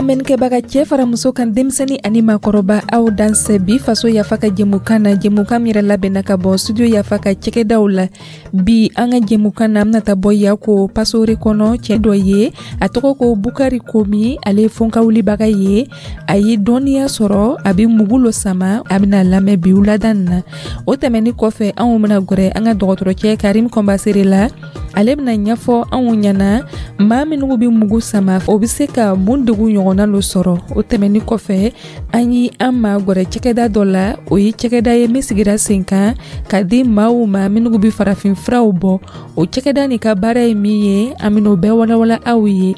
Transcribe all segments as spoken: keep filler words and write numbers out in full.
Lamɛnnikɛbaga, cɛɛ fara muso kan, denmisɛni ani maakɔrɔba, aw dansɛ bi Faso Yafa ka jɛmukan na, jɛmukan min yɛrɛ labɛnna ka bɔ Studio Yafa ka cɛkɛdaw la. Bi an ka jɛmukan na, an bena ta bɔ Yako pasore kɔnɔ, cɛɛ dɔ ye, a tɔgɔ ko Bukari Komi. Ale ye fonkawulibaga ye, a ye dɔnniya sɔrɔ, a be mugu lo sama. A bena lamɛn bi wulada nin na. O tɛmɛni kɔfɛ, anw bena gwɛrɛ an ka dɔgɔtɔrɔcɛ Karim Kɔnbasere la. Ale bena ɲɛfɔ anw ɲɛna, maa minnu be mugu sama, o be se ka mun degun ɲɔgɔnna lo sɔrɔ. O tɛmɛni kɔfɛ, an ye an ma gwɛrɛ cɛkɛda dɔ la. O ye cɛkɛda ye min sigira sen kan ka di maaw ma minnu be farafin furaw bɔ. O cɛkɛda nin ka baara ye min ye, an ben'o bɛɛ walawala aw ye.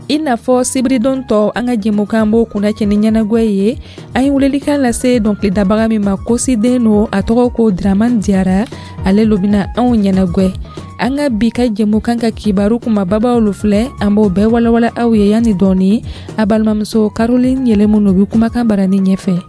I n'a fɔ sibiridon tɔ, an ka jɛmukan b'o kunnacɛ ni ɲɛnagwɛ ye. An ye welelikan lase dɔnkilidabaga min ma, kosiden no, a tɔgɔ ko Draman Diyara. Ale lo bena anw ɲɛnagwɛ. An ka bi ka jɛmukan ka kibaru kumababaw lo filɛ, an b'o bɛɛ walawala aw ye yanni dɔɔni. A balimamuso Caroline Yɛlɛmu no bi kumakan barani ɲɛfɛ.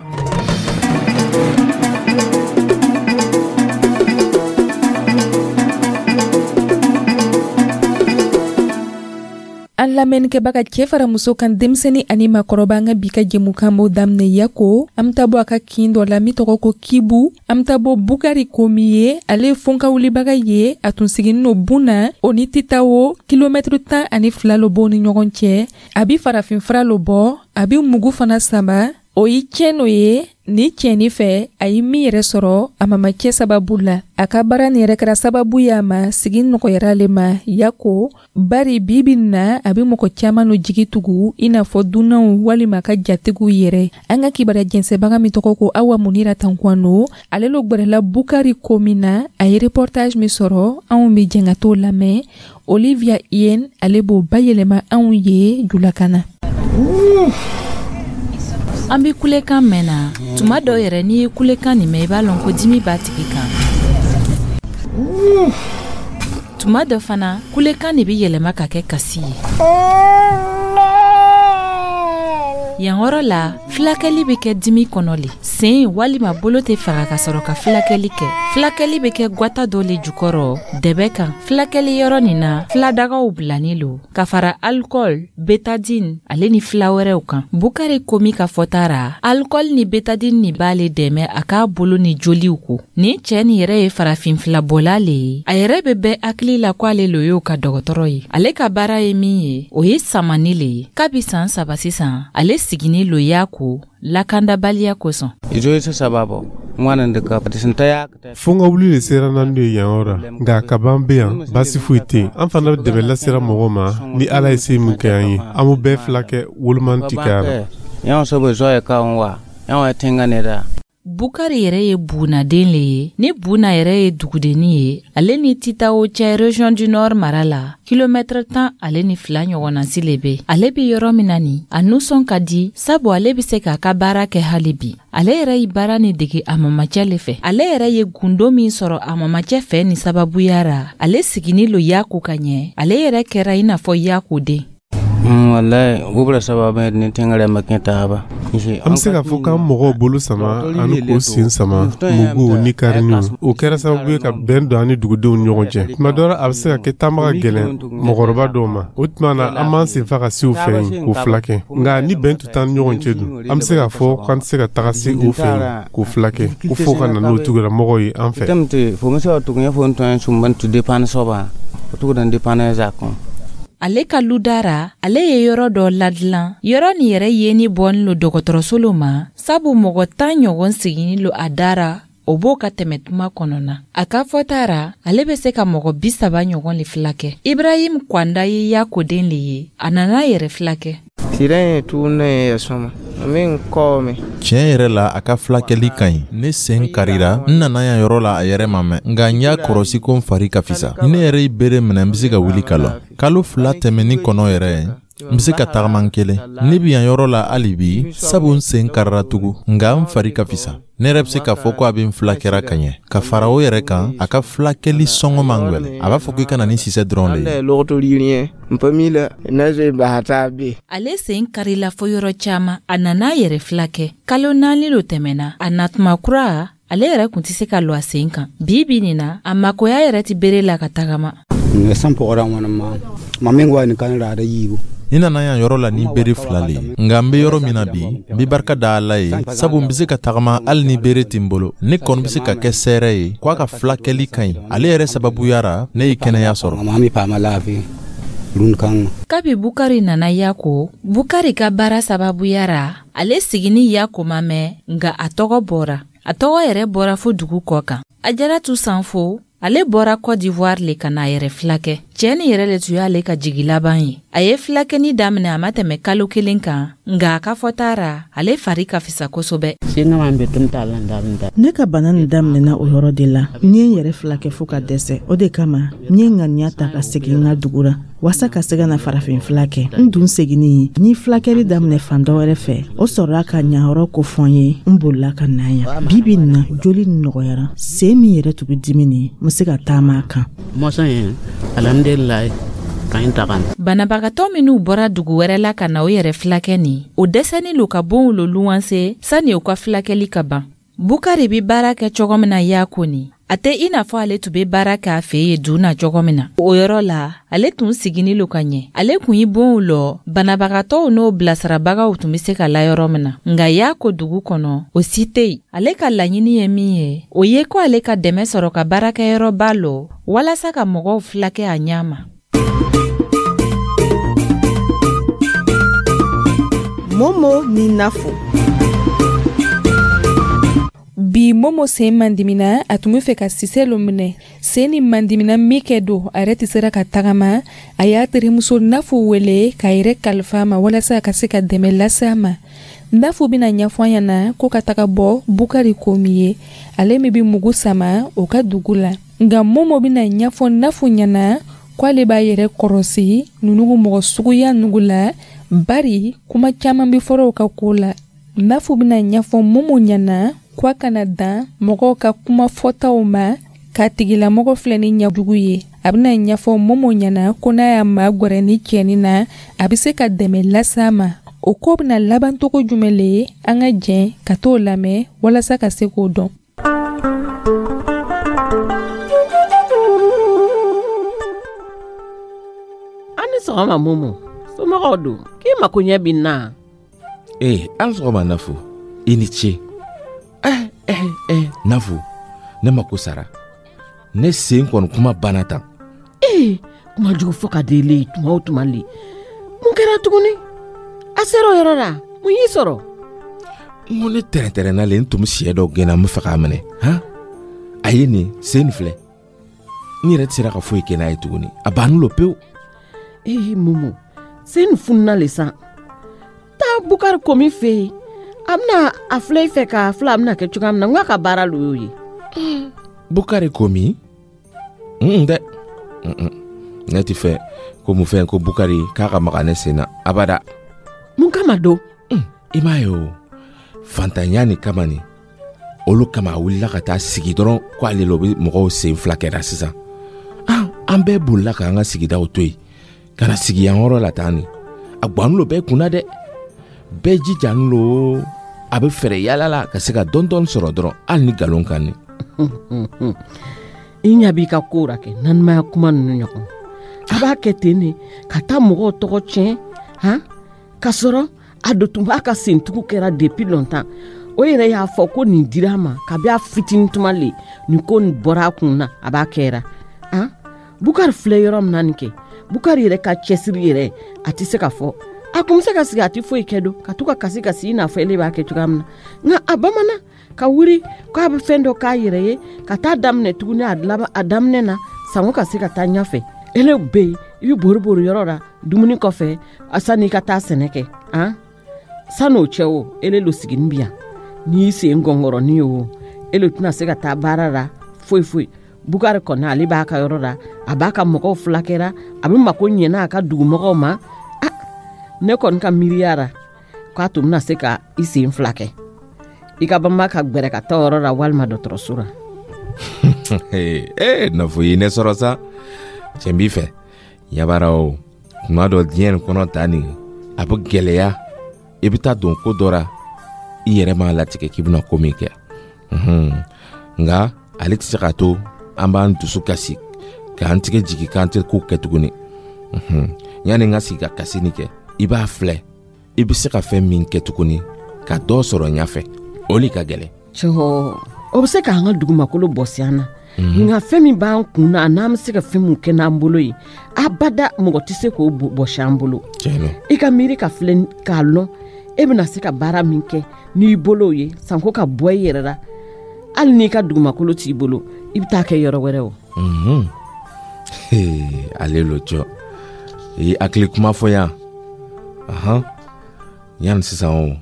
An lamɛnnikɛbaga, cɛɛ fara muso kan, denmisɛni ani maakɔrɔba, an ka bi ka jɛmukan b'o daminɛ Yako. An bɛ taa bɔ a ka kin dɔ la min tɔgɔ ko Kibu. An bɛ taa bɔ Bukari Komi ye. Ale ye fonkawulibaga ye. A tun siginin no Buna, o ni Titawo kilomɛtiri tan ani fila lo b'o ni ɲɔgɔn cɛ. A bi farafinfura lo bɔ, a bi mugu fana sama. O ye tiɲɛ no ye. Ni tiɲɛni fɛ, a ye min yɛrɛ sɔrɔ a mamacɛ sababu la. A ka baara nin yɛrɛ kɛra sababu ye a ma sigi nɔgɔyara ale ma Yako, bari bi bi na a bɛ mɔgɔ caman no jigi tugu, i n'a fɔ dunanw walima ka jatigiw yɛrɛ. An ka kibaruya jɛnsɛbaga min tɔgɔ ko Awa Munira Tankwano, ale lo gwɛrɛla Bukari Komi na. A ye reportage min sɔrɔ, anw bɛ jɛn ka t'o lamɛn. Olivia Yen, ale b'o bayɛlɛma anw ye julakan na. An bɛ kulekan mɛn na. Tuma dɔ yɛrɛ, n'i ye kulekan nin mɛn, i b'a lɔn ko dimi b'a tigi kan. Tuma dɔ fana, kulekan de bɛ yɛlɛma ka kɛ kasi ye. Yan yɔrɔ la, filakɛli bɛ kɛ dimi kɔnɔ le. Sen walima bolo tɛ faga ka sɔrɔ ka filakɛli kɛ. Filakɛli bɛ kɛ gwata dɔ le jukɔrɔ, dɛbɛ kan. Filakɛli yɔrɔ nin na, filadagaw bilanin lo ka fara alikɔli, betadine ale ni fila wɛrɛw kan. Bukari Komi ka fɔta ra, alikɔli ni betadine nin b'ale dɛmɛ a k'a bolo ni joliw ko. Nin cɛɛ nin yɛrɛ ye farafin filabɔla le ye. A yɛrɛ bɛ bɛɛ hakili la ko ale lo y'o ka dɔgɔtɔrɔ ye. Ale ka baara ye min ye, o ye samani le ye. Kabi san saba sisan, ale sigini lo y'a ko lakandabaliya kosɔn. Fo wuli de sera n'an ye yan yɔrɔ, nka kaban bɛ yan, baasi foyi tɛ yen. An fana bɛ dɛmɛ lasera mɔgɔw ma ni Ala ye se min kɛ an ye. An b'u bɛɛ fila kɛ woloman ti kɛ la. Bukari yɛrɛ ye Bunaden le ye. Ni Buna yɛrɛ ye dugudenni ye, ale ni Titawo cɛ, région du Nord mara la, kilomɛtɛrɛ tan ale ni fila ɲɔgɔnnasi le be. Ale be yɔrɔ min na nin, a nusɔn ka di, sabu ale be se k'a ka baara kɛ hali bi. Ale yɛrɛ ye baara ni dege a mamacɛ le fɛ. Ale yɛrɛ ye gundo min sɔrɔ a mamacɛ fɛ nin sababuya ra, ale sigini lo Yako ka ɲɛ. Ale yɛrɛ kɛra i n'a fɔ Yako den. An bɛ se k'a fɔ k'an mɔgɔw bolo sama ani k'o sen sama muguw ni kariniw. O kɛra sababu ye ka bɛn don an ni dugudenw ni ɲɔgɔn cɛ. Tuma dɔ la, a bɛ se ka kɛ taama ka gɛlɛn mɔgɔkɔrɔba dɔw ma. O tuma na, an b'an senfa ka se u fɛ yen k'u filakɛ. Nka ni bɛn tun t'an ni ɲɔgɔn cɛ dun, an bɛ se k'a fɔ k'an tɛ se ka taga se u fɛ yen k'u filakɛ, ko fo ka na n'o tigilamɔgɔw ye an fɛ. Ale ka ludara, ale ye yɔrɔ dɔ ladilan. Yɔrɔ nin yɛrɛ yeni bɔnin lo dɔgɔtɔrɔso lo ma, sabu mɔgɔ tan ɲɔgɔn siginin lo a dara, o b'o ka tɛmɛ tuma kɔnɔna. A ka fɔta ra, ale bɛ se ka mɔgɔ bi saba ɲɔgɔn le filakɛ. Ibrahim Kwanda ye Yakoden le ye. A nana yɛrɛ filakɛ. Tiɲɛ yɛrɛ la, a ka filakɛli ka ɲi. Ne sen karira, n nana yan yɔrɔ la a yɛrɛ ma mɛn, nka n y'a kɔrɔsi ko n fari ka fisa. Ni ne yɛrɛ ye bere minɛ, n bɛ se ka wuli ka lɔ. Kalo fila tɛmɛni kɔnɔ yɛrɛ, n bɛ se ka tagama n kelen. Ne bɛ yan yɔrɔ la hali bi, sabu n sen karira tugun, nka n fari ka fisa. Ne yɛrɛ bɛ se k'a fɔ ko a bɛ n filakɛra ka ɲɛ. Ka fara o yɛrɛ kan, a ka filakɛli sɔngɔ man gwɛlɛn. A b'a fɔ k'i ka na ni sisɛ dɔrɔn de ye. Ale sen karila fo yɔrɔ caman. A nana yɛrɛ filakɛ. Kalo naani lo tɛmɛna. A natuma kura, ale yɛrɛ kun tɛ se ka lɔ a sen kan. Bi bi nin na, a makoya yɛrɛ tɛ bere la ka tagama. N nana yan yɔrɔ la ni bere fila le ye, nka n be yɔrɔ min na bi, n be barika da Ala ye, sabu n be se ka tagama hali ni bere tɛ n bolo. Ne kɔni be se ka kɛ sɛɛrɛ ye ko a ka filakɛli ka ɲi. Ale yɛrɛ sababuya ra, ne ye kɛnɛya sɔrɔ. Kabi Bukari nana Yako, Bukari ka baara sababuya ra, ale sigini Yako ma mɛn, nka a tɔgɔ bɔra. A tɔgɔ yɛrɛ bɔra fo dugu kɔ kan. Ajaratu Sanfo, ale bɔra Côte d'Ivoire le ka n'a yɛrɛ filakɛ. Cɛɛ nin yɛrɛ le tun y'ale ka jigi laban ye. A ye filakɛni daminɛ, a ma tɛmɛ kalo kelen kan, nka a ka fɔta ra, ale fari ka fisa kosɛbɛ. Ne ka bana nin daminɛna o yɔrɔ de la. N ye n yɛrɛ filakɛ fo ka dɛsɛ. O de kama n ye ŋaniya ta ka segin n ka dugu ra waasa ka se ka na farafin fila kɛ. N dun seginni, n ye filakɛli daminɛ fan dɔ wɛrɛ fɛ. O sɔrɔla ka ɲayɔrɔ kofɔ n ye. N bolila ka na yan. Bi bi nin na, joli nin nɔgɔyara. Sen min yɛrɛ tun bɛ dimi nin, n bɛ se ka taama a kan. Banabagatɔ minw bɔra dugu wɛrɛ la ka na o yɛrɛ filakɛ nin, o dɛsɛnin lo ka bonw lo luwanse sani u ka filakɛli ka ban. Bukari bi baara kɛ cogo min na Yako nin, a tɛ i n'a fɔ ale tun be baara kɛ a fɛ yen dun na cogo min na. O yɔrɔ la, ale tun sigini lo ka ɲɛ. Ale kun yi bonw lɔ banabagatɔw n'o bilasirabagaw tun be se ka la yɔrɔ min na, nka Yako dugu kɔnɔ, o si tɛ yen. Ale ka laɲini ye min ye, o ye ko ale ka dɛmɛ sɔrɔ ka baarakɛyɔrɔba lɔ walasa ka mɔgɔw filakɛ a ɲɛ ma. Momo ni Nafo. Bi Momo sen mandimina, a tun be fɛ ka sisɛ lo minɛ. Sen ni mandimina min kɛ don, a yɛrɛ tɛ sera ka tagama. A y'a terimuso Nafo wele k'a yɛrɛ kalifa a ma walasa a ka se ka dɛmɛ lase a ma. Nafo bɛna ɲɛfɔ an ɲɛna ko ka taga bɔ Bukari Komi ye, ale min bɛ mugu sama o ka dugu la. Nka Momo bɛna ɲɛfɔ Nafo ɲɛna ko ale b'a yɛrɛ kɔrɔsi ninnu mɔgɔ suguya nugu la, bari kuma caman bɛ fɔra o ka ko la. Nafo bɛna ɲɛfɔ Momo ɲɛna ko a kana dan mɔgɔw ka kuma fɔtaw ma k'a tigilamɔgɔ filɛ ni ɲɛjugu ye. A bɛna ɲɛfɔ Momo ɲɛna ko n'a y'a magɛrɛ ni cɛnin na, a bɛ se ka dɛmɛ lase a ma. O ko bɛna laban cogo jumɛn le ye? An ka jɛn ka t'o lamɛn walasa ka se k'o dɔn. An ni sɔgɔma Momo, somɔgɔw don? K'i mako ɲɛ bi n na? Ee, an sɔgɔma Nafo, i ni ce. Eh, eh, eh, Nafo, ne mako sara. Ne sen kɔni kuma banna tan. Ee, kuma jugu fɔ ka di le tuma o tuma le. Mun kɛra tuguni? A sera o yɔrɔ la, mun y'i sɔrɔ? N ko ne tɛrɛntɛrɛnna le, n tun bɛ siyɛ dɔ gɛnna, n bɛ fɛ k'a minɛ. Han? A ye nin sen nin filɛ. N yɛrɛ tɛ sera ka foyi kɛ n'a ye tuguni. A banni lo pewu. Ee Momo, sen nin fununa le san. Taa Bukari Komi fɛ yen. A bɛna a filɛ i fɛ k'a filɛ a bɛna kɛ cogoya min na, n k'a ka baara lo y'o ye. Bukari Komi? Un dɛ. Ne tɛ fɛ ko mun fɛn ko Bukari k'a ka maga ne sen na abada. Mun kama don? I m'a ye o, fantanya nin kama nin, olu kama a wulila ka taa sigi dɔrɔn ko ale lo bɛ mɔgɔw sen fila kɛra sisan. Ah, an bɛɛ bolila k'an ka sigidaw to yen ka na sigi yan yɔrɔ la tan nin. A gwanni lo bɛɛ kunna dɛ. Bɛɛ jijani lo, a bɛ fɛɛrɛ yaala la ka se ka dɔɔni dɔɔni sɔrɔ dɔrɔn, hali ni nkalon kan nin. I ɲɛ b'i ka kow ra kɛ nanimaya kuma ninnu ɲɔgɔn. A b'a kɛ ten de ka taa mɔgɔw tɔgɔ tiɲɛ, han, k'a sɔrɔ a do tun b'a ka sentugu kɛra depuis longtemps. O yɛrɛ y'a fɔ ko nin dira a ma kabi a fitinin tuma le, nin ko nin bɔra a kun na, a b'a kɛra. Han, Bukari filɛ yɔrɔ min na nin kɛ, Bukari yɛrɛ ka cɛsiri yɛrɛ a tɛ se ka fɔ. A kun bɛ se ka sigi a tɛ foyi kɛ don, ka to ka kasi kasi i n'a fɔ ele b'a kɛ cogoya min na. Nka a bamanan ka wuli k'a bɛ fɛn dɔ k'a yɛrɛ ye, ka taa daminɛ tuguni a laban a daminɛ na sanko ka se ka taa ɲɛfɛ. Ele bɛ yen, i bɛ bori bori yɔrɔ la dumuni kɔfɛ sanni i ka taa sɛnɛ kɛ. Han, san'o cɛ o, ele lo sigini bi yan, n'i y'i sen gɔngɔrɔnin ye o, ele tɛna se ka taa baara la foyi foyi. Bukari kɔni ale b'a ka yɔrɔ la, a b'a ka mɔgɔw fulakɛra, a bɛ mako ɲɛna a ka dugumɔgɔw ma. Ah, ne kɔni ka miiriya ra k'a tun bɛna se ka i sen fila kɛ. I ka banba ka gbɛrɛ ka taa yɔrɔ la walima dɔgɔtɔrɔso la. Ee, Nafo ye ne sɔrɔ sa. Cɛn b'i fɛ. Yabara o, tuma dɔ diɲɛ nin kɔnɔ ta nin, a bɛ gɛlɛya. I bɛ taa don ko dɔ ra, i yɛrɛ m'a latigɛ k'i bɛna ko min kɛ. Nka ale tɛ se k'a to an b'an dusu kasi k'an tigɛ jigin k'an tɛ ko kɛ tuguni. Yanni n ka sigi ka kasi nin kɛ, i b'a filɛ, i bɛ se ka fɛn min kɛ tuguni ka dɔ sɔrɔ ɲɛfɛ, o le ka gɛlɛn. Cɔ, o bɛ se k'an ka dugumakolo bɔsi an na, nka fɛn min b'an kun na, n'an bɛ se ka fɛn min kɛ n'an bolo ye, abada mɔgɔ tɛ se k'o bɔsi an bolo. I ka miiri ka filɛ k'a lɔn e bɛna se ka baara min kɛ n'i bolo ye, sanko ka bɔ i yɛrɛ la, hali n'i ka dugumakolo t'i bolo, i bɛ taa kɛ yɔrɔ wɛrɛ o. Ale lo cɔ, i hakili kuma fɔ yan. Ahan, yanni sisan o,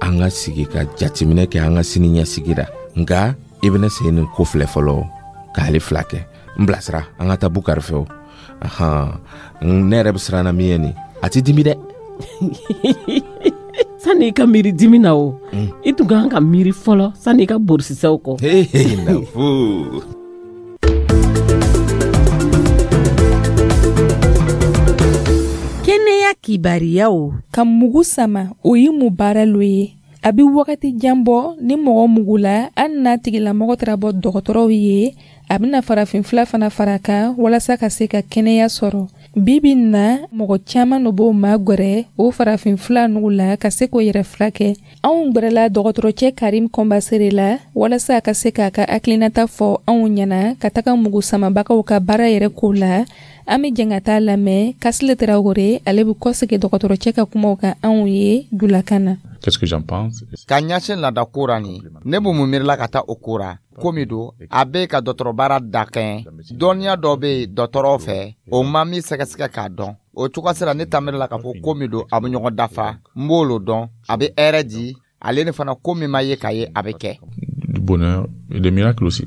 an ka sigi ka jateminɛ kɛ an ka sini ɲɛsigi la. Nka i bɛna sen nin ko filɛ fɔlɔ k'ale fila kɛ. N bilasira, an ka taa Bukari fɛ o. Ahan, ne yɛrɛ bɛ siran na min ye nin, a ti dimi dɛ. Sani i ka miiri dimi na o, i tun kan ka miiri fɔlɔ sani i ka borisisɛw kɔ. Nafu. Kɛnɛya kibariyaw. Ka mugu sama, o ye mun baara lo ye? A bɛ wagati jan bɔ ni mɔgɔ mugu la, hali n'a tigilamɔgɔ taara bɔ dɔgɔtɔrɔw ye, a bɛna farafin fila fana fara kan walasa ka se ka kɛnɛya sɔrɔ. Bi bi in na, mɔgɔ caman de b'o magɛrɛ o farafin fila nugu la ka se k'o yɛrɛ furakɛ. Anw gbɛrɛla dɔgɔtɔrɔcɛ Karim Kɔnbasere la walasa a ka se k'a ka hakilinata fɔ anw ɲɛna ka taga mugu samabagaw ka baara yɛrɛ ko la. An bɛ jɛn ka taa lamɛn Kasile Tarawele, ale bɛ kɔsegin dɔgɔtɔrɔcɛ ka kumaw kan anw ye julakan na. Qu'est-ce que j'en pense? Ka ɲɛsin laada ko ra nin, ne b'o mun miirila ka taa o ko ra? Ko min don, a bɛ ka dɔgɔtɔrɔbaara dakɛɲɛ. Dɔnniya dɔ bɛ yen dɔgɔtɔrɔw fɛ, o ma min sɛgɛsɛgɛ k'a dɔn. O cogoya sera ne ta miirila k'a fɔ ko min don, a bɛ ɲɔgɔn dafa. N b'o lo dɔn, a bɛ hɛrɛ di, ale ni fana ko min ma ye k'a ye, a bɛ kɛ. Du bonheur et des miracles aussi.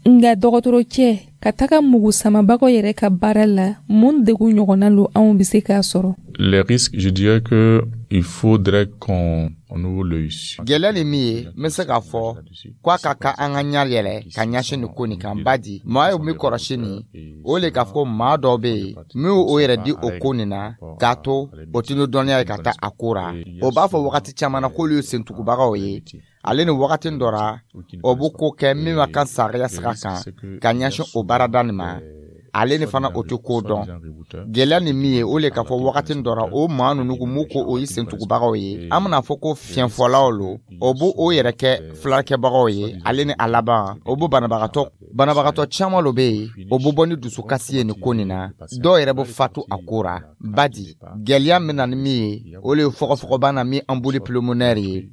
Nka dɔgɔtɔrɔcɛ, ka taga mugu samabagaw yɛrɛ ka baara la, mun degun ɲɔgɔnna lo anw bɛ se k'a sɔrɔ? Les risques, je dirais que il faudrait qu'on ouvre l'œil. Gɛlɛya ni min ye, n bɛ se k'a fɔ k'a ka kan an ka ɲɛ yɛlɛ ka ɲɛsin nin ko nin kan. Badi maa ye min kɔrɔsi nin, o le k'a fɔ maa dɔw bɛ yen min y'o yɛrɛ di o ko nin na, k'a to o tɛ ni dɔnniya ye ka taa a ko ra. O b'a fɔ wagati caman na k'olu ye sentugubagaw ye. Ale ni wagati dɔ ra, o bɛ ko kɛ min ma kan sariya sira kan ka ɲɛsin o baarada nin ma. Ale ni fana o tɛ ko dɔn. Gɛlɛya ni min ye, o le k'a fɔ wagati dɔ ra, o maa ninnu m'u ko o ye sentugubagaw ye, an bɛna fɔ ko fiɲɛfɔlaw lo, o b'o o yɛrɛ kɛ filakɛbagaw ye. Ale ni a laban, o b'o banabagatɔ banabagatɔ caman lo bɛ yen, o bɛ bɔ ni dusukasi ye nin ko nin na. Dɔw yɛrɛ bɛ fatu a ko ra. Badi gɛlɛya min na ni min ye, o le ye fɔgɔfɔgɔbana min embolie pulmonaire ye.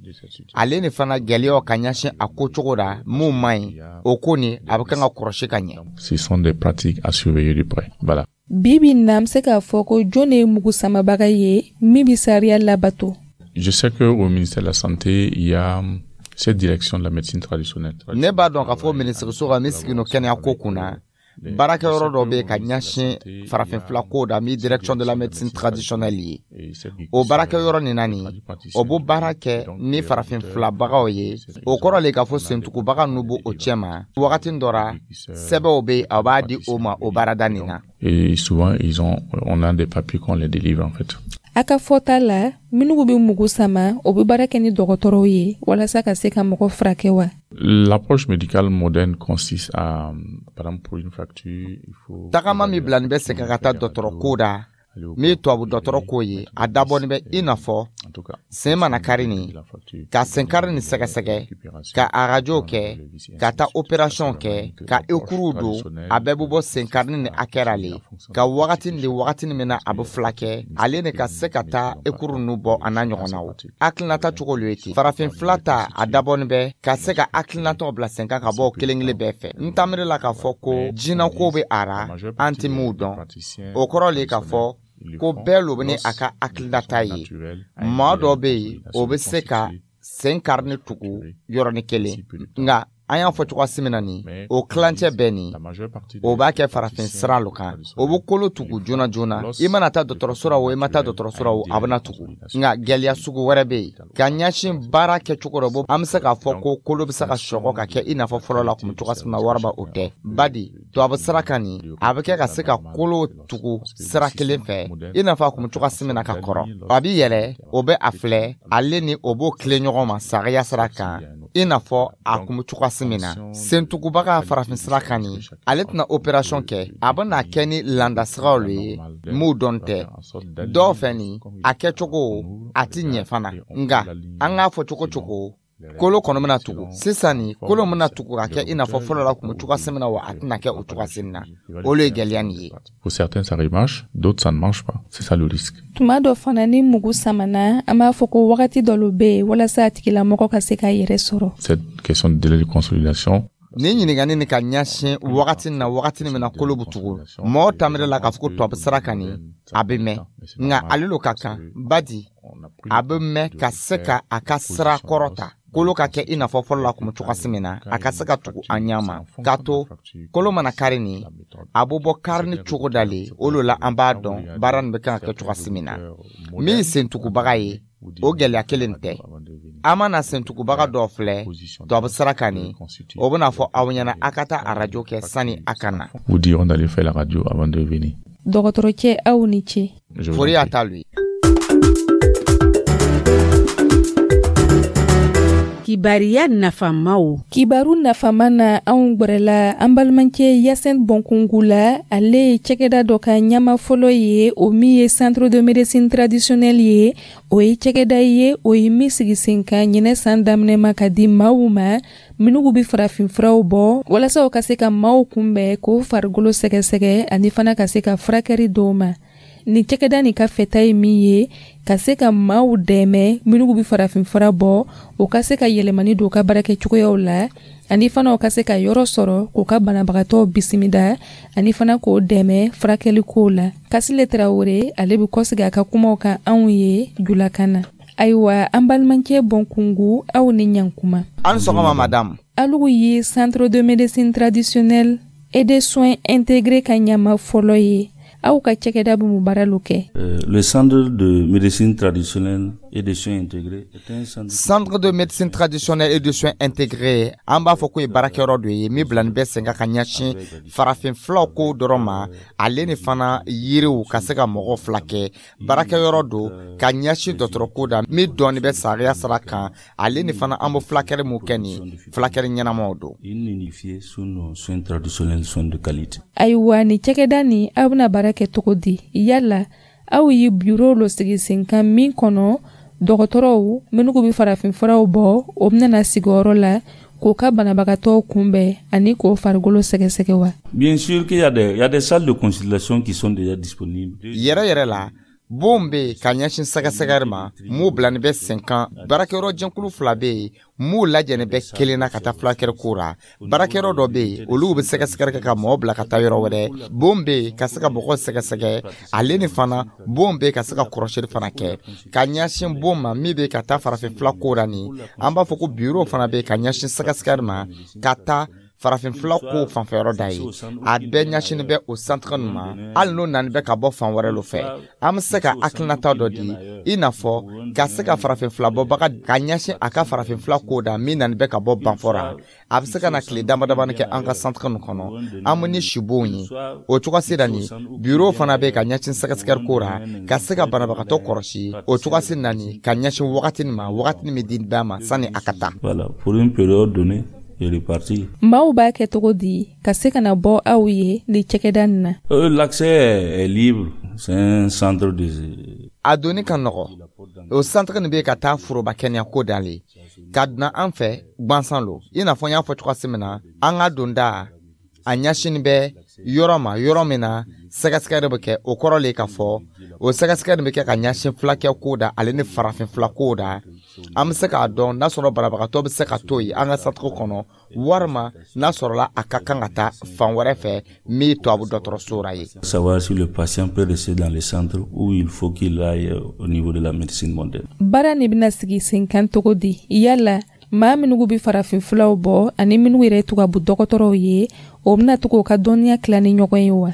Ale ni fana gɛlɛyaw ka ɲɛsin a ko cogo la mun man ɲi, o ko nin a bɛ kan ka kɔrɔsi ka ɲɛ. Ce sont des pratiques à surveiller de près. Voilà. Bi bi in na, an bɛ se k'a fɔ ko jɔn de ye mugu samabaga ye min bɛ sariya labato? Je sais que au ministère de la Santé, il y a cette direction de la médecine traditionnelle. Ne b'a dɔn k'a fɔ minisiriso ka min sigi no kɛnɛya ko kunna, baarakɛyɔrɔ dɔ bɛ yen ka ɲɛsin farafinfila ko da, min direction de la médecine traditionnelle ye. O baarakɛyɔrɔ nin na nin, o b'o baara kɛ ni farafinfilabagaw ye. O kɔrɔ le k'a fɔ sentugubaga ninnu b'o cɛ ma. Wagati dɔ ra, sɛbɛnw bɛ yen, a b'a di o ma o baarada nin na. Et souvent, ils ont, on a des papiers qu'on les délivre en fait. A ka fɔta la, minnu bɛ mugu sama, o bɛ baara kɛ ni dɔgɔtɔrɔw ye walasa ka se ka mɔgɔ furakɛ wa? L'approche médicale moderne consiste à, par exemple, pour une fracture, il faut... Tagama min bila nin bɛ segin ka taa dɔgɔtɔrɔ ko da, min ye tubabu dɔgɔtɔrɔ ko ye, a dabɔnin bɛ i n'a fɔ sen mana kari nin, ka senkari nin sɛgɛsɛgɛ, ka arajow kɛ, ka taa opération kɛ, ka ekuruw don, a bɛɛ bɛ bɔ senkari ni hakɛ ra le, ka wagati ni wagati min na a bɛ filakɛ, ale ni ka se ka taa ekuru ninnu bɔ a n'a ɲɔgɔnnaw. Hakilinata cogo lo ye ten. Farafin fila ta, a dabɔnin bɛ ka se ka hakilinataw bila sen kan ka bɔ kelen kelen bɛɛ fɛ. N taamiri la k'a fɔ ko jinɛko bɛ a ra, an tɛ min dɔn. O kɔrɔ le k'a fɔ ko bɛɛ lo bɛ ni a ka hakilinata ye. Maa dɔ bɛ yen, o bɛ se ka sen kari ni tugu yɔrɔnin kelen, nka an y'a fɔ cogoya min na nin, o kilancɛ bɛɛ nin, o b'a kɛ farafin sira lo kan, o bɛ kolo tugu joona joona. I mana taa dɔgɔtɔrɔso la o, i ma taa dɔgɔtɔrɔso la o, a bɛna tugu. Nka gɛlɛya sugu wɛrɛ bɛ yen ka ɲɛsin baara kɛcogo dɔ bɔ, an bɛ se k'a fɔ ko kolo bɛ se ka sɔgɔ ka kɛ i n'a fɔ fɔlɔ la kun bɛ cogoya min na, waraba o tɛ. Badi tubabu sira kan nin, a bɛ kɛ ka se ka kolo tugu sira kelen fɛ i n'a fɔ a kun bɛ cogoya min na ka kɔrɔ. A bɛ yɛlɛ, o bɛ a filɛ, ale ni o b'o tilen ɲɔgɔn ma sariya sira kan I n'a fɔ a kun bɛ cogoya min na. Sentugubaga farafin sira kan nin, ale tɛna opération kɛ, a bɛna kɛ ni landasiraw le ye m'u dɔn tɛ. Dɔw fɛ nin, a kɛcogo a ti ɲɛ fana. Nka an k'a fɔ cogo cogo, kolo kɔnɔ bɛna tugu sisan. Nin kolo bɛna tugu ka kɛ i n'a fɔ fɔlɔ la kun bɛ cogoya min na wa, a tɛna kɛ o cogoya min na. O le ye gɛlɛya nin ye. Pour certains, ça remarche, d'autres, ça ne marche pas. C'est ça le risque. Tuma dɔ fana, ni mugu samana, an b'a fɔ ko wagati dɔ bɛ yen walasa a tigilamɔgɔ ka se k'a yɛrɛ sɔrɔ. Cette question de délai de consolidation, Nin ɲininkani nin ka ɲɛsin wagati na, wagati min na kolo bɛ tugu, mɔgɔw tamire la k'a fɔ ko tubabu sira kan nin, a bɛ mɛn. Nka ale lo ka kan badi, a bɛ mɛn ka se ka a ka sira kɔrɔ ta, kolo ka kɛ i n'a fɔ fɔlɔ la kun bɛ cogoya min na, a ka se ka tugu a ɲɛ ma. K'a to kolo mana kari nin, a bɛ bɔ kari ni cogo dalen o lo la, an b'a dɔn baara nin bɛ kan ka kɛ cogoya min na. Min ye sentugubaga ye, o gɛlɛya kelen tɛ. An mana sentugubaga dɔw filɛ tubabu sira kan nin, o bɛna fɔ aw ɲɛna a ka taa arajo kɛ sani a ka na. Vous diront d'aller faire la radio avant de venir. Dɔgɔtɔrɔcɛ, aw ni ce. Je vous en Fori y'a prie. ta lu ye. Kibariya nafamaw. Kibaru nafama na, anw gwɛrɛla an balimacɛ Yasɛn Bɔnkungu la. Ale ye cɛgɛda dɔ ka ɲama fɔlɔ ye, o min ye Centre de médecine traditionnelle ye. O ye cɛgɛda ye, o ye min sigi sen kan ɲinɛ san daminɛ ma, ka di maaw ma minnu bɛ farafinfuraw bɔ, walasa o ka se ka maaw kunbɛn, k'o farikolo sɛgɛsɛgɛ, ani fana ka se ka furakɛli dɔw ma. Nin cɛkɛda nin ka fɛta ye min ye, ka se ka maaw dɛmɛ minnu bɛ farafinfura bɔ, o ka se ka yɛlɛmani don u ka baarakɛcogoyaw la, ani fana u ka se ka yɔrɔ sɔrɔ k'u ka banabagatɔw bisimila, ani fana k'o dɛmɛ furakɛlikow la. Kasile Tarawele, ale bɛ kɔsegi a ka kumaw kan anw ye julakan na. Ayiwa, an balimacɛ Bɔnkungu, aw ni ɲankuma. An sɔgɔma, madamu. Alugu ye Centre de médecine traditionnelle et des soins intégrés ka ɲama fɔlɔ ye. Aw ka cɛkɛda bɛ mun baara lo kɛ? Euh, le centre de médecine traditionnelle et de soins intégrés est un centre Centre de médecine traditionnelle et de soins intégrés, an b'a fɔ ko ye baarakɛyɔrɔ dɔ ye min bilani bɛ sen kan ka ɲɛsin farafin fulaw ko dɔrɔn ma, ale ni fana yiriw ka se ka mɔgɔw fila kɛ. Baarakɛyɔrɔ don ka ɲɛsin dɔgɔtɔrɔ ko da min dɔɔni bɛ sariya sira kan, ale ni fana an bɛ fulakɛli mun kɛ nin, fulakɛli ɲɛnamaw don. Une unifiée sur nos soins traditionnels, soins de qualité. Ayiwa, nin cɛkɛda nin, aw bɛna baara kɛ cogo di? Yala aw ye biro lo sigi sen kan min kɔnɔ, dɔgɔtɔrɔw minnu bɛ farafinfuraw bɔ, o bɛna sigiyɔrɔ la k'o ka banabagatɔw kunbɛn ani k'o farikolo sɛgɛsɛgɛ wa? Bien sûr qu'il y a des, il y a des salles de consultation qui sont déjà disponibles. Yɛrɛ yɛrɛ la, bon bɛ yen ka ɲɛsin sɛgɛsɛgɛli ma m'u bilani bɛ sen kan. Baarakɛyɔrɔ jɛkulu fila bɛ yen m'u lajɛni bɛ kelen na ka taa fulakɛli ko ra. Baarakɛyɔrɔ dɔ bɛ yen, olu bɛ sɛgɛsɛgɛli kɛ ka mɔgɔw bila ka taa yɔrɔ wɛrɛ. Bon bɛ yen ka se ka mɔgɔw sɛgɛsɛgɛ, ale ni fana bon bɛ yen ka se ka kɔrɔsili fana kɛ ka ɲɛsin bon ma min bɛ ka taa farafin fila ko ra nin. An b'a fɔ ko biro fana bɛ yen ka ɲɛsin sɛgɛsɛgɛli ma ka taa farafinfila ko fanfɛyɔrɔ da ye. A bɛɛ ɲɛsinin bɛ o centre nin ma. Hali n'o nani bɛ ka bɔ fan wɛrɛ lo fɛ, an bɛ se ka hakilinata dɔ di, i n'a fɔ ka se ka farafinfila bɔbaga ka ɲɛsin a ka farafinfila ko da min nani bɛ ka bɔ Banfɔra, a bɛ se ka na tile dama damani kɛ an ka centre nin kɔnɔ, an bɛ ni sibonw ye. O cogo sira nin, biro fana bɛ ka ɲɛsin sɛgɛsɛgɛli ko ra, ka se ka banabagatɔ kɔlɔsi o cogo na nin, ka ɲɛsin wagati nin ma, wagati min di bɛɛ ma sani a ka taa. Voilà, pour une période donnée et repartir. Maaw b'a kɛ cogo di ka se ka na bɔ aw ye nin cɛkɛda nin na? Euh, L'accès est, est libre, c'est un centre de A donni ka nɔgɔ. O centre nin bɛ ka taa foroba kɛnɛya ko dalen ka dunan an fɛ gwansan lo. I n'a fɔ n y'a fɔ cogoya min na, an ka donda a ɲɛsinin bɛ yɔrɔ ma, yɔrɔ min na sɛgɛsɛgɛli bɛ kɛ. O kɔrɔ le k'a fɔ o sɛgɛsɛgɛli bɛ kɛ ka ɲɛsin fulakɛ ko da, ale ni farafin fila ko da. An bɛ se k'a dɔn n'a sɔrɔ banabagatɔ bɛ se ka to yen an ka centre kɔnɔ, walima n'a sɔrɔla a ka kan ka taa fan wɛrɛ fɛ min tubabu dɔgɔtɔrɔso ra ye. Savoir si le patient peut rester dans le centre ou il faut qu'il aille au niveau de la médecine moderne. Baara nin bɛna sigi sen kan cogo di? Yala maa minnu bɛ farafin fulaw bɔ ani minnu yɛrɛ tubabu dɔgɔtɔrɔw ye, o bɛna to k'o ka dɔnniya tila ni ɲɔgɔn ye wa?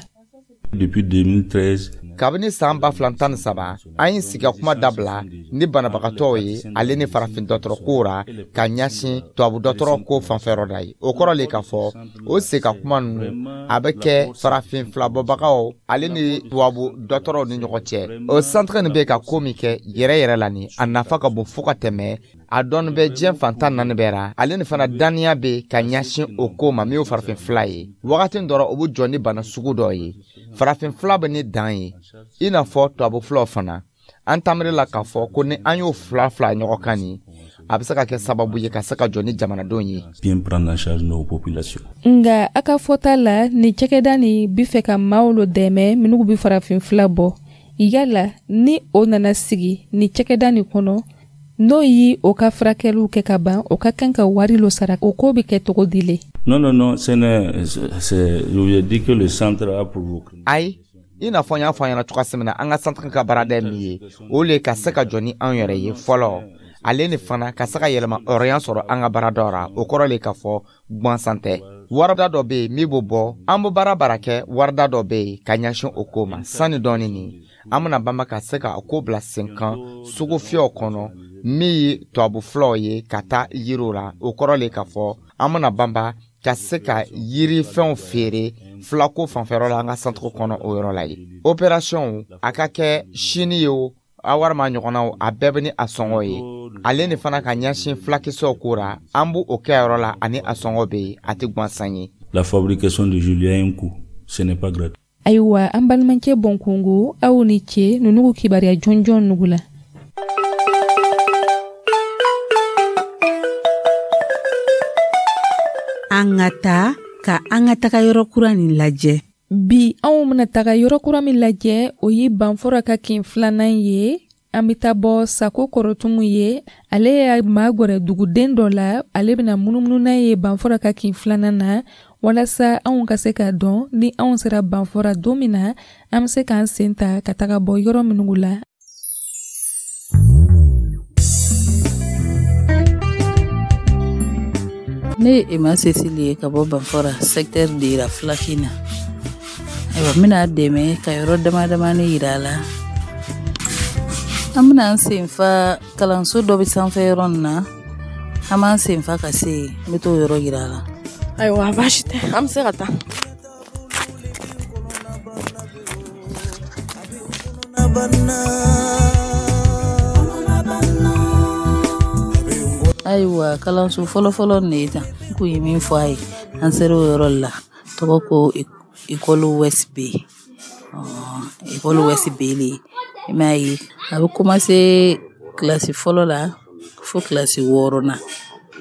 Depuis deux mille treize, Kabini saan ba fila tan ni saba, an ye sigi ka kuma dabila ni banabagatɔw ye, ale ni farafin dɔgɔtɔrɔ ko ra, ka ɲɛsin tubabu dɔgɔtɔrɔ ko fanfɛyɔrɔ da ye. O kɔrɔ le k'a fɔ o sigi ka kuma ninnu, a bɛ kɛ farafin filabɔbagaw ale ni tubabu dɔgɔtɔrɔw ni ɲɔgɔn cɛ. O centre nin bɛ ka ko min kɛ yɛrɛ yɛrɛ la nin, a nafa ka bon fo ka tɛmɛ. A dɔnni bɛ diɲɛ fantan naani bɛɛ ra. Ale ni fana daniya bɛ ka ɲɛsin o ko ma min ye farafin fila ye. Wagati dɔ o bɛ jɔ ni bana sugu dɔ ye. Farafin fila bɛ ni dan ye, i n'a fɔ tubabu fulaw fana. An taamiri la k'a fɔ ko ni an y'o fila fila ɲɔgɔn kan nin, a bɛ se ka kɛ sababu ye ka se ka jɔ ni jamanadenw ye. Bien prendre en charge nos populations. Nka a ka fɔta la, nin cakɛda nin bi fɛ ka maaw lo dɛmɛ minnu bɛ farafin fila bɔ. Yala ni o nana sigi nin cakɛda nin kɔnɔ, n'o ye o ka furakɛliw kɛ ka ban, o ka kan ka wari lo sara, o ko bɛ kɛ cogo di le? Non, non, non, ce n'est, c'est, je vous ai dit que le centre a pour Ayi, i n'a fɔ n y'a fɔ an ɲɛna cogoya min na, an ka centre ka baarada ye min ye, o le ka se ka jɔ ni anw yɛrɛ ye fɔlɔ. Ale ni fana ka se ka yɛlɛma hɔrɔnya sɔrɔ an ka baaradaw ra, o kɔrɔ le k'a fɔ gansan tɛ. Warida dɔ bɛ yen min b'o bɔ, an bɛ baara baara kɛ, warida dɔ bɛ yen ka ɲɛsin o ko ma. Sani dɔɔni nin, an bɛna banba ka se ka ko bila sen kan sugu fiyɛw kɔnɔ min ye tubabu fulaw ye ka taa yiriw la. O kɔrɔ le k'a fɔ an bɛna banba ka se ka yirifɛnw feere filako fanfɛyɔrɔ la an ka centre kɔnɔ o yɔrɔ la yen. Opération a ka kɛ sini ye o, a walima ɲɔgɔnnaw, a bɛɛ bɛ ni a sɔngɔ ye. Ale ni fana ka ɲɛsin fulakisɛw ko ra, an b'o kɛ yɔrɔ la ani a sɔngɔ bɛ yen, a tɛ gansan ye. La fabrication de Julia a un coût, ce n'est pas gratuit. Ayiwa, an balimakɛ Bɔnkungo, aw ni ce ninnu kibaruya jɔnjɔn nugu la. An ka taa ka an ka taga yɔrɔ kura nin lajɛ. Bi anw bɛna taga yɔrɔ kura min lajɛ, o ye Banfora ka kin filanan ye. An bɛ taa bɔ Sako Kɔrɔtumu ye. Ale ye maa gwɛrɛ duguden dɔ la. Ale bɛna munumunu n'a ye Banfora ka kin filanan na, walasa anw ka se k'a dɔn ni anw sera Banfora don min na, an bɛ se k'an sen ta ka taga bɔ yɔrɔ minnu la. Ne ye Emma Cécile ye ka bɔ Banfora secteur de Yira Fulakin na. Ayiwa, n bɛna dɛmɛ ka yɔrɔ dama damani yira a la. An bɛna an senfa kalanso dɔ bɛ sanfɛ yɔrɔ nin na, an b'an senfa ka se yen, n bɛ t'o yɔrɔ yira a la. Ayiwa, baasi tɛ, an bɛ se ka taa. Ayiwa, kalanso fɔlɔfɔlɔ nin de ye tan, n kun ye min fɔ a ye, an sera o yɔrɔ la, tɔgɔ ko École West B. École West B le, i m'a ye, a bɛ commencer kilasi fɔlɔ la fo kilasi wɔɔrɔnan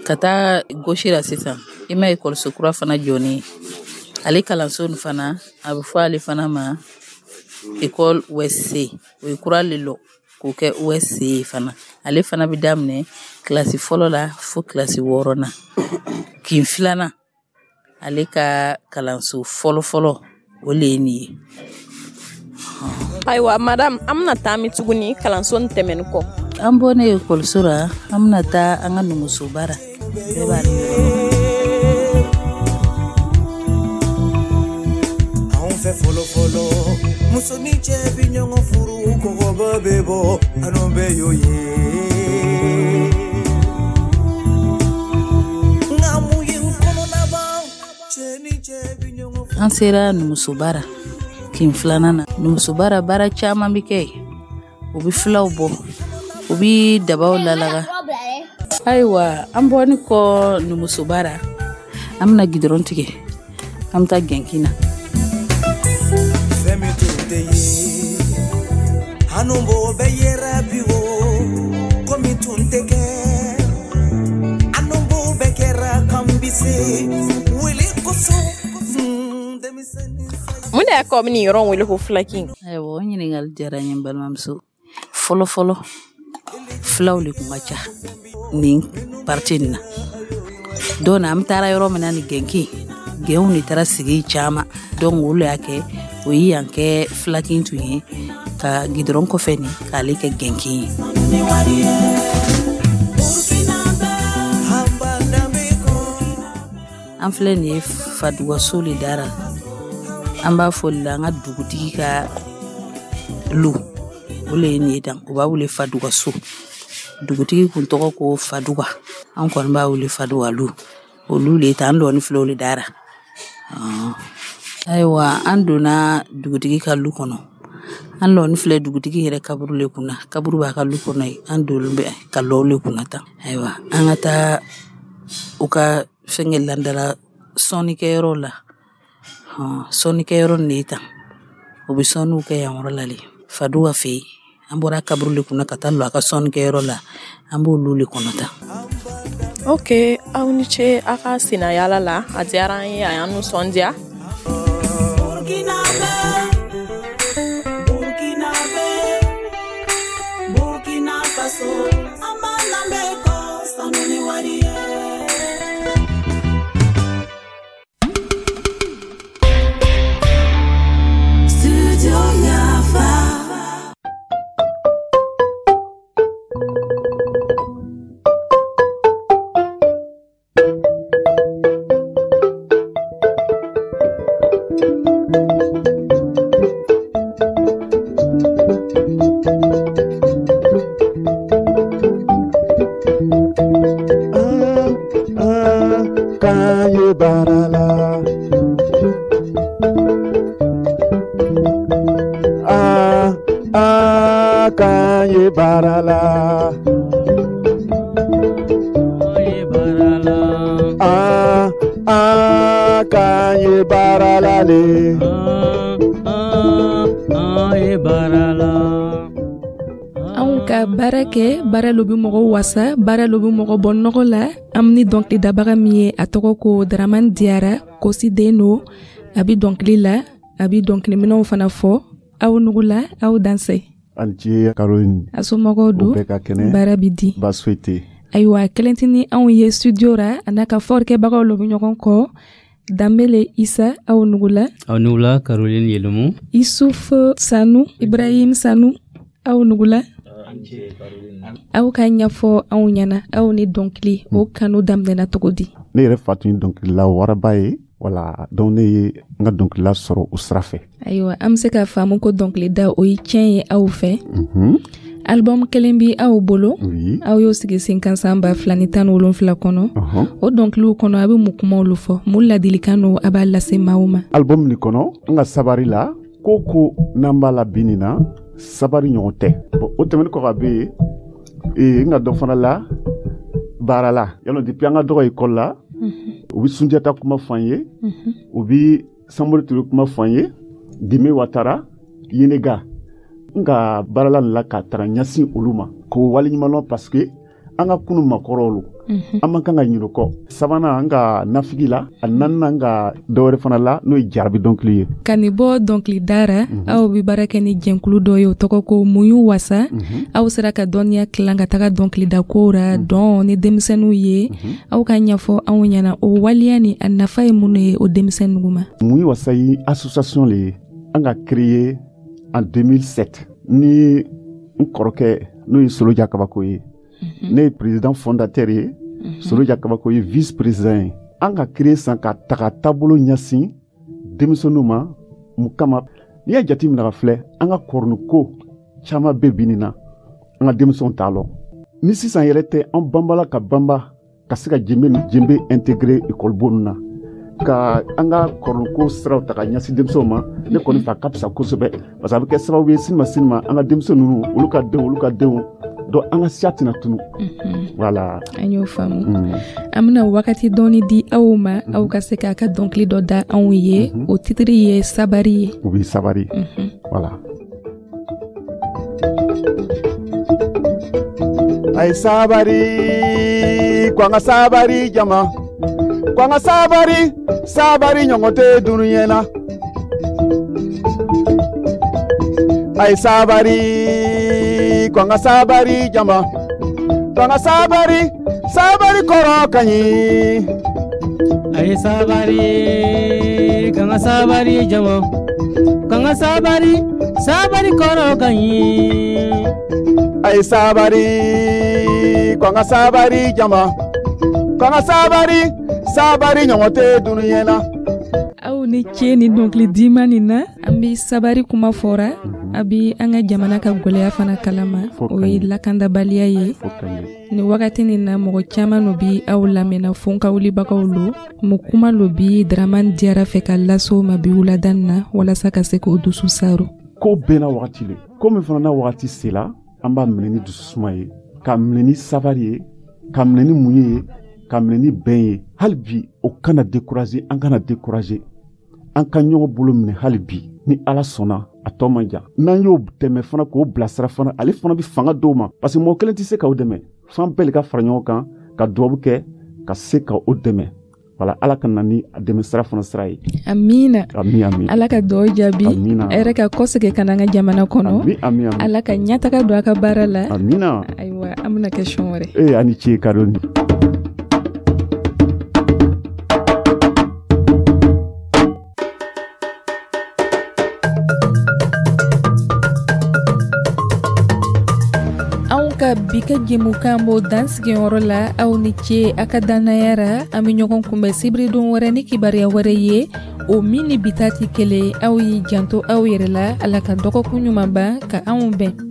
ka taa gauche la sisan, i m'a ye ekɔliso kura fana jɔnen, ale kalanso nin fana a bɛ fɔ ale fana ma École West C, o ye kura le lɔ k'o kɛ West C ye fana. Ale fana bɛ daminɛ kilasi fɔlɔ la fo kilasi wɔɔrɔnan. Kin filanan, ale ka kalanso fɔlɔfɔlɔ o le ye nin ye. Ayiwa madame, an bɛna taa min tuguni kalanso nin tɛmɛnen kɔ? An bɔlen ekɔliso la, an bɛna taa an ka numusoba la. Bɛɛ b'a dɔn. Anw fɛ fɔlɔ fɔlɔ, muso ni cɛ bi ɲɔgɔn furu, kɔgɔba bɛ bɔ, anu bɛɛ y'o ye. Nka mun ye n kɔnɔna ban, cɛ ni cɛ bi ɲɔgɔn furu. An sera numusoba la kin filanan na. Numusoba la baara caman bɛ kɛ yen. U bɛ filaw bɔ, u bɛ dabaw lalaga. Ayiwa, an bɔlen kɔ numusoba la, an bɛna gidɔrɔn tigɛ, an bɛ taa gɛnkin na. Fɛn min tun tɛ ye, anu b'o bɛɛ yera bi o, ko min tun tɛ kɛ, anu b'o bɛɛ kɛra kan bi se, wele kosɔn. Mun de y'a kɛ aw bɛ nin yɔrɔ in wele ko filakin? Ayiwa, o ɲininkali diyara n ye, n balimamuso. Fɔlɔ fɔlɔ, filaw de kun ka ca nin parti nin na. Don na an taara yɔrɔ min na ni gɛnkin, gɛnw de taara sigi caman. Donc olu y'a kɛ, o ye yan kɛ filakin tun ye, ka gidɔrɔn kɔfɛ nin k'ale kɛ gɛnkin ye. An filɛ nin ye Fadugaso le dara. An b'a fɔ le la an ka dugutigi ka lu, o le ye nin ye tan, o b'a wele Fadugaso. Dugutigi kun tɔgɔ ko Faduga, an kɔni b'a wele Faduga lu. Olu le ta, an dɔɔni filɛ o le dara. Ayiwa, an donna dugutigi ka lu kɔnɔ. An lɔni filɛ dugutigi yɛrɛ kaburu le kunna, kaburu b'a ka lu kɔnɔ yen. An donnen bɛ ka lɔ le kunna tan. Ayiwa, an ka taa u ka fɛnkɛ landala sɔnnikɛyɔrɔ la. Sɔnnikɛyɔrɔ nin de ye tan, u bɛ sɔnniw kɛ yan yɔrɔ la le. Faduwa fɛ yen, an bɔra kaburu le kunna ka taa lɔ a ka sɔnnikɛyɔrɔ la, an b'olu le kɔnɔ tan. Ok, aw ni ce a ka senayala la, a diyara an ye, a y'an nisɔndiya. Kɛ baara lo bɛ mɔgɔ wasa, baara lo bɛ mɔgɔ bɔ nɔgɔ la. An ni dɔnkilidabaga min ye, a tɔgɔ ko Dramane Diarra, Kosi den don. A bɛ dɔnkili la, a bɛ dɔnkiliminɛnw fana fɔ. Aw nugula, aw dansɛ. Ani ce Caroline. A somɔgɔw don? Bɛɛ ka kɛnɛ. Baara bɛ di? Baasi foyi tɛ. Ayiwa, kelen tɛ ni anw ye studio ra, a n'a ka fɔlikɛbagaw lo bɛ ɲɔgɔn kɔ. Danbele Isa, aw nugula. Aw nugula Caroline Yelemu. Isuf Sanu, Ibrahim Sanu, aw nugula. Aw ka ɲɛfɔ anw ɲɛna, aw ni dɔnkili o kanu daminɛna cogo di? Ne yɛrɛ fa tun ye dɔnkilila waraba ye, wala, donc ne ye n ka dɔnkilila sɔrɔ o sira fɛ. Ayiwa, an bɛ se k'a faamu ko dɔnkilida o ye tiɲɛ ye aw fɛ. Album kelen bi aw bolo, aw y'o sigi sen kan san ba fila ni tan ni wolonfila kɔnɔ. O dɔnkiliw kɔnɔ, a bɛ mun kumaw fɔ, mun ladilikan don a b'a lase maaw ma? Album nin kɔnɔ, n ka sabari la, ko ko n'an b'a la bi nin na, sabari ɲɔgɔn tɛ. Bon, o tɛmɛnen kɔ ka bɛ yen, ee n ka dɔ fana la baara la yalɔ, depuis an ka dɔgɔ école la, u bɛ Sunjata kuma fɔ an ye, u bɛ Samori Ture kuma fɔ an ye, Dime Watara, Yenega. N ka baarala nin la ka taga ɲɛsin olu ma k'o waleɲuman lɔn, parce que an ka kunu makɔrɔw lo, an man kan ka ɲinɛ o kɔ. Sabanan, an ka nafigi la. A naaninan, an ka dɔwɛrɛ fana la, n'o ye jarabi dɔnkili ye. Ka nin bɔ dɔnkilida ra, aw bɛ baara kɛ ni jɛnkulu dɔ ye, o tɔgɔ ko Muɲu Wasa. Aw sera ka dɔnniya tilan ka taga dɔnkilida kow ra, dɔn ni denmisɛnninw ye. Aw ka ɲɛfɔ anw ɲɛna, o waleya ni a nafa ye mun ye o denmisɛnninw ma? Muɲu Wasa ye association le ye, an ka créer en deux mille sept ni n kɔrɔkɛ, n'o ye Soloja Kabako ye. Ne ye président fondateur ye, Soloja Kabako ye vice président ye. An ka créer san ka taga taabolo ɲɛsin denmisɛnninw ma. Mun kama? N'i y'a jateminɛ ka filɛ, an ka kɔrɔniko caman bɛ bi nin na, an ka denmisɛnw t'a lɔn. Ni sisan yɛrɛ tɛ, an banbala ka banba ka se ka jenbe ni jenbe intégrer école bon na, ka an ka kɔrɔnko siraw ta ka ɲɛsin denmisɛnw ma. Ne kɔni fɛ, a ka fisa kosɛbɛ, parce que a bɛ kɛ sababu ye sini ma sini ma, an ka denmisɛn ninnu, olu ka denw, olu ka denw, donc an ka siya tɛna tunu. Voilà, an y'o faamu. An bɛna wagati dɔɔni di aw ma, aw ka se k'a ka dɔnkili dɔ da anw ye. O titiri ye Sabari ye. O bɛ Sabari, voilà. A ye sabari, ko an ka sabari jama, ko an ka sabari, sabari ɲɔgɔn tɛ dunuɲɛ na. A ye sabari, ko an ka sabari jama, ko an ka sabari, sabari kɔrɔ ka ɲi. A ye sabari, k'an ka sabari jama, k'an ka sabari, sabari kɔrɔ ka ɲi. A ye sabari, ko an ka sabari jama, ko an ka sabari, sabari ɲɔgɔn tɛ dunuɲɛ na. Aw ni ce ni dɔnkili diman nin na. An bɛ sabari kuma fɔra, a bɛ an ka jamana ka gwɛlɛya fana kalama, o ye lakandabaliya ye. Nin wagati nin na, mɔgɔ caman no bi aw lamɛnna, fonkawulibagaw lo. Mun kuma lo bi Dramane Diarra fɛ ka lase o ma bi wulada nin na, walasa ka se k'o dusu saro? Ko bɛɛ n'a wagati le. Ko min fana n'a wagati sela, an b'a minɛ ni dususuma ye, k'a minɛ ni sabari ye, k'a minɛ ni muɲu ye, k'a minɛ ni bɛn ye. Hali bi o kana décourager, an kana décourager, an ka ɲɔgɔn bolo minɛ hali bi. Ni Ala sɔnna, a tɔ man jan. N'an y'o dɛmɛ fana, k'o bilasira fana, ale fana bɛ fanga d'o ma, parce que mɔgɔ kelen tɛ se k'aw dɛmɛ. F'an bɛɛ de ka fara ɲɔgɔn kan ka dubabu kɛ ka se ka o dɛmɛ. Wala Ala ka na ni a dɛmɛ sira fana sira ye. Amina. Ami, ami. Ala ka dugawu jaabi. Amina. A yɛrɛ ka kɔsegin ka na an ka jamana kɔnɔ. Ami, ami, ami. Ala ka ɲɛtaga don a ka baara la. Amina. Ayiwa, an bɛna kɛ sɔn wɛrɛ. Ee, ani ce Caroline. Anw ka bi ka jɛmukan b'o dansigiyɔrɔ la. Aw ni ce a ka dannaya ra. An bɛ ɲɔgɔn kunbɛn sibiridon wɛrɛ ni kibaruya wɛrɛ ye, o min ni bi ta tɛ kelen. Aw y'i janto aw yɛrɛ la. Ala ka dɔgɔkun ɲuman ban ka anw bɛn.